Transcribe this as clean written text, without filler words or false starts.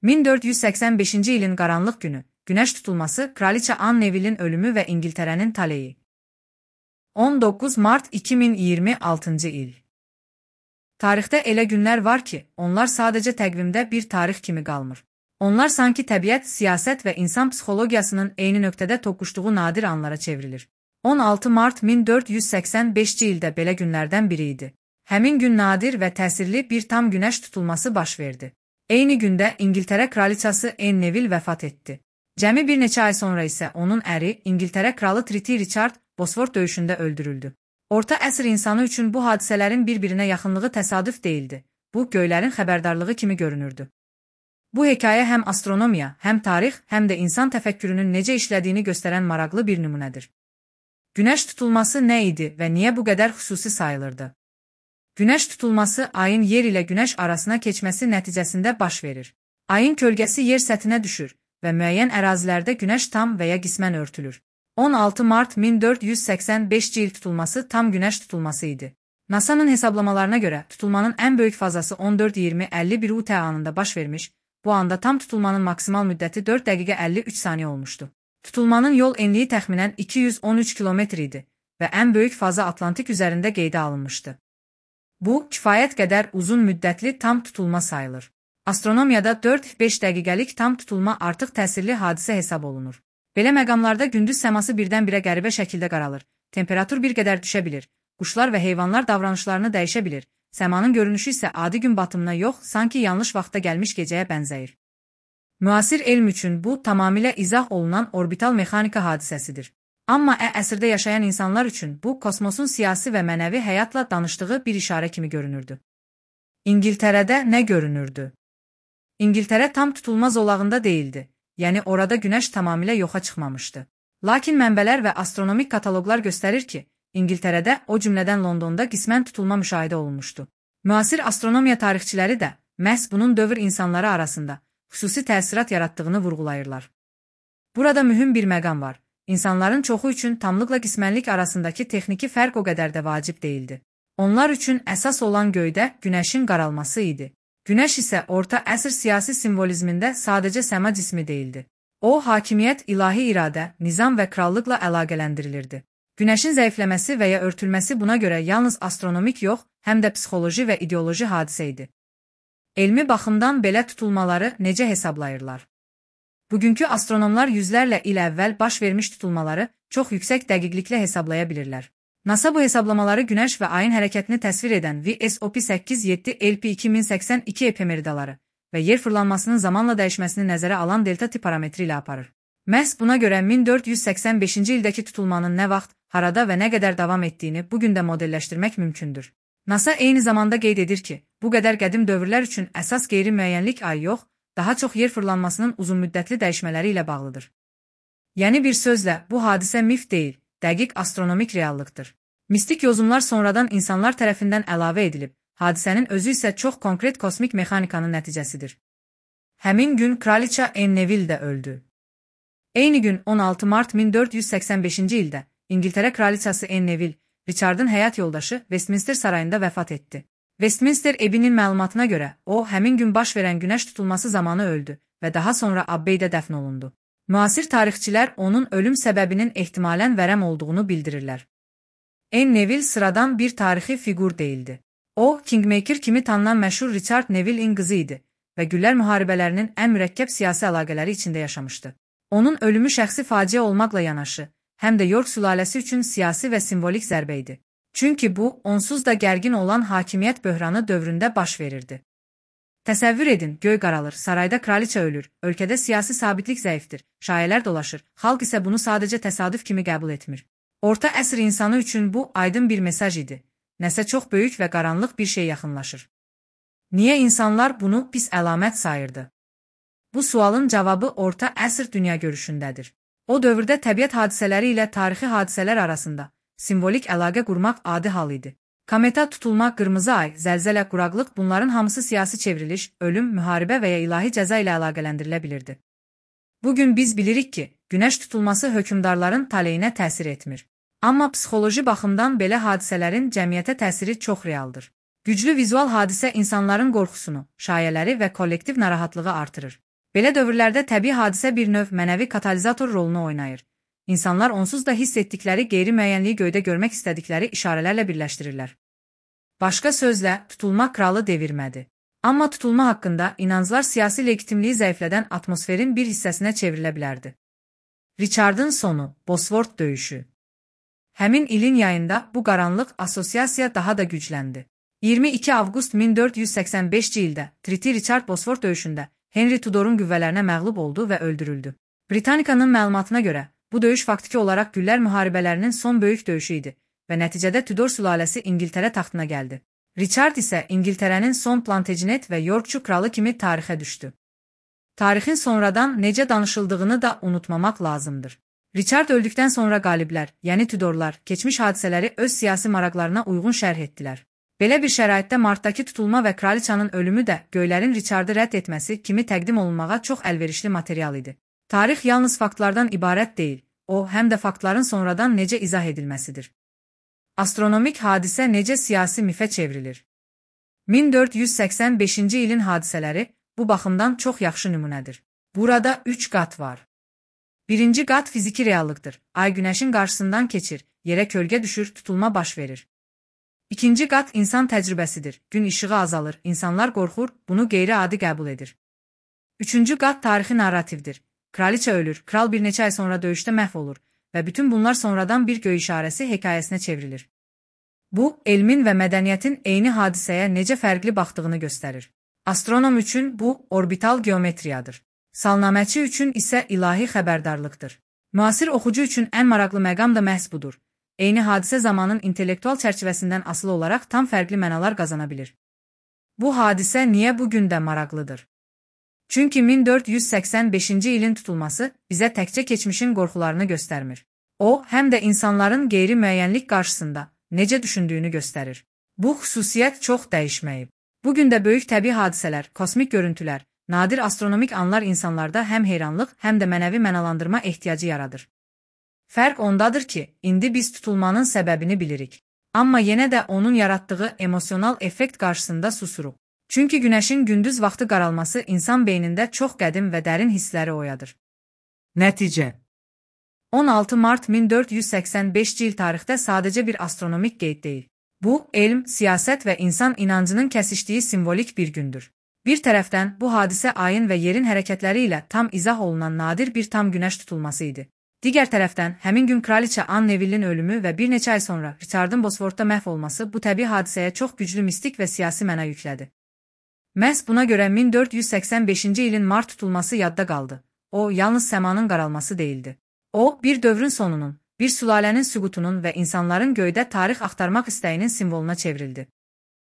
1485-ci ilin qaranlıq günü, günəş tutulması, Kraliçə Anne Neville'in ölümü və İngiltərənin taleyi. 19 Mart 2026-cı il. Tarixdə elə günlər var ki, onlar sadəcə təqvimdə bir tarix kimi qalmır. Onlar sanki təbiət, siyasət və insan psixologiyasının eyni nöqtədə toqquşduğu nadir anlara çevrilir. 16 Mart 1485-ci ildə belə günlərdən biri idi. Həmin gün nadir və təsirli bir tam günəş tutulması baş verdi. Eyni gündə İngiltərə kraliçası Anne Neville vəfat etdi. Cəmi bir neçə ay sonra isə onun əri, İngiltərə kralı Triti Richard, Bosford döyüşündə öldürüldü. Orta əsr insanı üçün bu hadisələrin bir-birinə yaxınlığı təsadüf deyildi. Bu, göylərin xəbərdarlığı kimi görünürdü. Bu hekayə həm astronomiya, həm tarix, həm də insan təfəkkürünün necə işlədiyini göstərən maraqlı bir nümunədir. Günəş tutulması nə idi və niyə bu qədər xüsusi sayılırdı? Günəş tutulması ayın yer ilə günəş arasına keçməsi nəticəsində baş verir. Ayın kölgəsi yer səthinə düşür və müəyyən ərazilərdə günəş tam və ya qismən örtülür. 16 Mart 1485-ci il tutulması tam günəş tutulması idi. NASA-nın hesablamalarına görə tutulmanın ən böyük fazası 14:20:51 UT anında baş vermiş, bu anda tam tutulmanın maksimal müddəti 4 dəqiqə 53 saniyə olmuşdu. Tutulmanın yol enliyi təxminən 213 kilometr idi və ən böyük faza Atlantik üzərində qeydə alınmışdı. Bu, kifayət qədər uzun müddətli tam tutulma sayılır. Astronomiyada 4-5 dəqiqəlik tam tutulma artıq təsirli hadisə hesab olunur. Belə məqamlarda gündüz səması birdən-birə qəribə şəkildə qaralır, temperatur bir qədər düşə bilir, quşlar və heyvanlar davranışlarını dəyişə bilir, səmanın görünüşü isə adi gün batımına yox, sanki yanlış vaxtda gəlmiş gecəyə bənzəyir. Müasir elm üçün bu, tamamilə izah olunan orbital mexanika hadisəsidir. Amma əsrdə yaşayan insanlar üçün bu, kosmosun siyasi və mənəvi həyatla danışdığı bir işarə kimi görünürdü. İngiltərədə nə görünürdü? İngiltərə tam tutulma zolağında deyildi, yəni orada günəş tamamilə yoxa çıxmamışdı. Lakin mənbələr və astronomik kataloqlar göstərir ki, İngiltərədə, o cümlədən Londonda qismən tutulma müşahidə olunmuşdu. Müasir astronomiya tarixçiləri də məhz bunun dövr insanları arasında xüsusi təsirat yaratdığını vurğulayırlar. Burada mühüm bir məqam var. İnsanların çoxu üçün tamlıqla qismənlik arasındakı texniki fərq o qədər də vacib deyildi. Onlar üçün əsas olan göydə günəşin qaralması idi. Günəş isə orta əsr siyasi simvolizmində sadəcə səma cismi deyildi. O, hakimiyyət, ilahi iradə, nizam və krallıqla əlaqələndirilirdi. Günəşin zəifləməsi və ya örtülməsi buna görə yalnız astronomik yox, həm də psixoloji və ideoloji hadisə idi. Elmi baxımdan belə tutulmaları necə hesablayırlar? Bugünkü astronomlar yüzlərlə il əvvəl baş vermiş tutulmaları çox yüksək dəqiqliklə hesablaya bilirlər. NASA bu hesablamaları Günəş və ayın hərəkətini təsvir edən VSOP 8-7 LP 2082 epemeridaları və yer fırlanmasının zamanla dəyişməsini nəzərə alan delta tip parametri ilə aparır. Məhz buna görə 1485-ci ildəki tutulmanın nə vaxt, harada və nə qədər davam etdiyini bugün də modelləşdirmək mümkündür. NASA eyni zamanda qeyd edir ki, bu qədər qədim dövrlər üçün əsas qeyri-müəyyənlik ay yox, daha çox yer fırlanmasının uzunmüddətli dəyişmələri ilə bağlıdır. Yəni bir sözlə, bu hadisə mif deyil, dəqiq astronomik reallıqdır. Mistik yozumlar sonradan insanlar tərəfindən əlavə edilib, hadisənin özü isə çox konkret kosmik mexanikanın nəticəsidir. Həmin gün Kraliçə Anne Neville də öldü. Eyni gün 16 Mart 1485-ci ildə İngiltərə kraliçası Anne Neville, Richard'ın həyat yoldaşı Westminster sarayında vəfat etdi. Westminster evinin məlumatına görə, o, həmin gün baş verən günəş tutulması zamanı öldü və daha sonra Abbeydə dəfn olundu. Müasir tarixçilər onun ölüm səbəbinin ehtimalən vərəm olduğunu bildirirlər. Anne Neville sıradan bir tarixi fiqur deyildi. O, Kingmaker kimi tanınan məşhur Richard Neville'in qızı idi və Güllər müharibələrinin ən mürəkkəb siyasi əlaqələri içində yaşamışdı. Onun ölümü şəxsi faciə olmaqla yanaşı, həm də York sülaləsi üçün siyasi və simvolik zərbə idi. Çünki bu, onsuz da gərgin olan hakimiyyət böhranı dövründə baş verirdi. Təsəvvür edin, göy qaralır, sarayda kraliçə ölür, ölkədə siyasi sabitlik zəifdir, şayələr dolaşır, xalq isə bunu sadəcə təsadüf kimi qəbul etmir. Orta əsr insanı üçün bu aydın bir mesaj idi. Nəsə çox böyük və qaranlıq bir şey yaxınlaşır. Niyə insanlar bunu pis əlamət sayırdı? Bu sualın cavabı orta əsr dünya görüşündədir. O dövrdə təbiət hadisələri ilə tarixi hadisələr arasında simvolik əlaqə qurmaq adi hal idi. Kometa tutulma, qırmızı ay, zəlzələ, quraqlıq bunların hamısı siyasi çevriliş, ölüm, müharibə və ya ilahi cəza ilə əlaqələndirilə bilirdi. Bugün biz bilirik ki, günəş tutulması hökmdarların taleyinə təsir etmir. Amma psixoloji baxımdan belə hadisələrin cəmiyyətə təsiri çox realdır. Güclü vizual hadisə insanların qorxusunu, şayələri və kollektiv narahatlığı artırır. Belə dövrlərdə təbii hadisə bir növ mənəvi katalizator rolunu oynayır. İnsanlar onsuz da hiss etdikləri qeyri-müəyyənliyi göydə görmək istədikləri işarələrlə birləşdirirlər. Başqa sözlə, tutulma kralı devirmədi. Amma tutulma haqqında inanclar siyasi legitimliyi zəiflədən atmosferin bir hissəsinə çevrilə bilərdi. Richardın sonu, Bosford döyüşü. Həmin ilin yayında bu qaranlıq assosiasiya daha da gücləndi. 22 avqust 1485-ci ildə Triti Richard Bosford döyüşündə Henry Tudorun qüvvələrinə məğlub oldu və öldürüldü. Britanikanın məlumatına görə, bu döyüş faktiki olaraq Güllər müharibələrinin son böyük döyüşü idi və nəticədə Tudor sülaləsi İngiltərə taxtına gəldi. Richard isə İngiltərənin son Plantagenet və Yorkçu kralı kimi tarixə düşdü. Tarixin sonradan necə danışıldığını da unutmamaq lazımdır. Richard öldükdən sonra qaliblər, yəni Tudorlar, keçmiş hadisələri öz siyasi maraqlarına uyğun şərh etdilər. Belə bir şəraitdə martdakı tutulma və kraliçanın ölümü də Göylərin Richardı rədd etməsi kimi təqdim olunmağa çox əlverişli material idi. Tarix yalnız faktlardan ibarət deyil, o, həm də faktların sonradan necə izah edilməsidir. Astronomik hadisə necə siyasi mifə çevrilir? 1485-ci ilin hadisələri bu baxımdan çox yaxşı nümunədir. Burada 3 qat var. Birinci qat fiziki reallıqdır. Ay günəşin qarşısından keçir, yerə kölgə düşür, tutulma baş verir. İkinci qat insan təcrübəsidir. Gün işığı azalır, insanlar qorxur, bunu qeyri-adi qəbul edir. Üçüncü qat tarixi narrativdir. Kraliçə ölür, kral bir neçə ay sonra döyüşdə məhv olur və bütün bunlar sonradan bir göy işarəsi hekayəsinə çevrilir. Bu, elmin və mədəniyyətin eyni hadisəyə necə fərqli baxdığını göstərir. Astronom üçün bu, orbital geometriyadır. Salnaməçi üçün isə ilahi xəbərdarlıqdır. Müasir oxucu üçün ən maraqlı məqam da məhz budur. Eyni hadisə zamanın intellektual çərçivəsindən asılı olaraq tam fərqli mənalar qazana bilir. Bu hadisə niyə bugün də maraqlıdır? Çünki 1485-ci ilin tutulması bizə təkcə keçmişin qorxularını göstərmir. O, həm də insanların qeyri-müəyyənlik qarşısında necə düşündüyünü göstərir. Bu xüsusiyyət çox dəyişməyib. Bugün də böyük təbii hadisələr, kosmik görüntülər, nadir astronomik anlar insanlarda həm heyranlıq, həm də mənəvi mənalandırma ehtiyacı yaradır. Fərq ondadır ki, indi biz tutulmanın səbəbini bilirik. Amma yenə də onun yaratdığı emosional effekt qarşısında susuruq. Çünki günəşin gündüz vaxtı qaralması insan beynində çox qədim və dərin hissləri oyadır. Nəticə 16 mart 1485-ci il tarixdə sadəcə bir astronomik qeyd deyil. Bu, elm, siyasət və insan inancının kəsişdiyi simvolik bir gündür. Bir tərəfdən, bu hadisə ayın və yerin hərəkətləri ilə tam izah olunan nadir bir tam günəş tutulması idi. Digər tərəfdən, həmin gün kraliçə Anne Neville'in ölümü və bir neçə ay sonra Richardın Bosfordda məhv olması bu təbii hadisəyə çox güclü mistik və siyasi məna yüklədi. Məhz buna görə 1485-ci ilin mart tutulması yadda qaldı. O, yalnız səmanın qaralması deyildi. O, bir dövrün sonunun, bir sülalənin süqutunun və insanların göydə tarix axtarmaq istəyinin simvoluna çevrildi.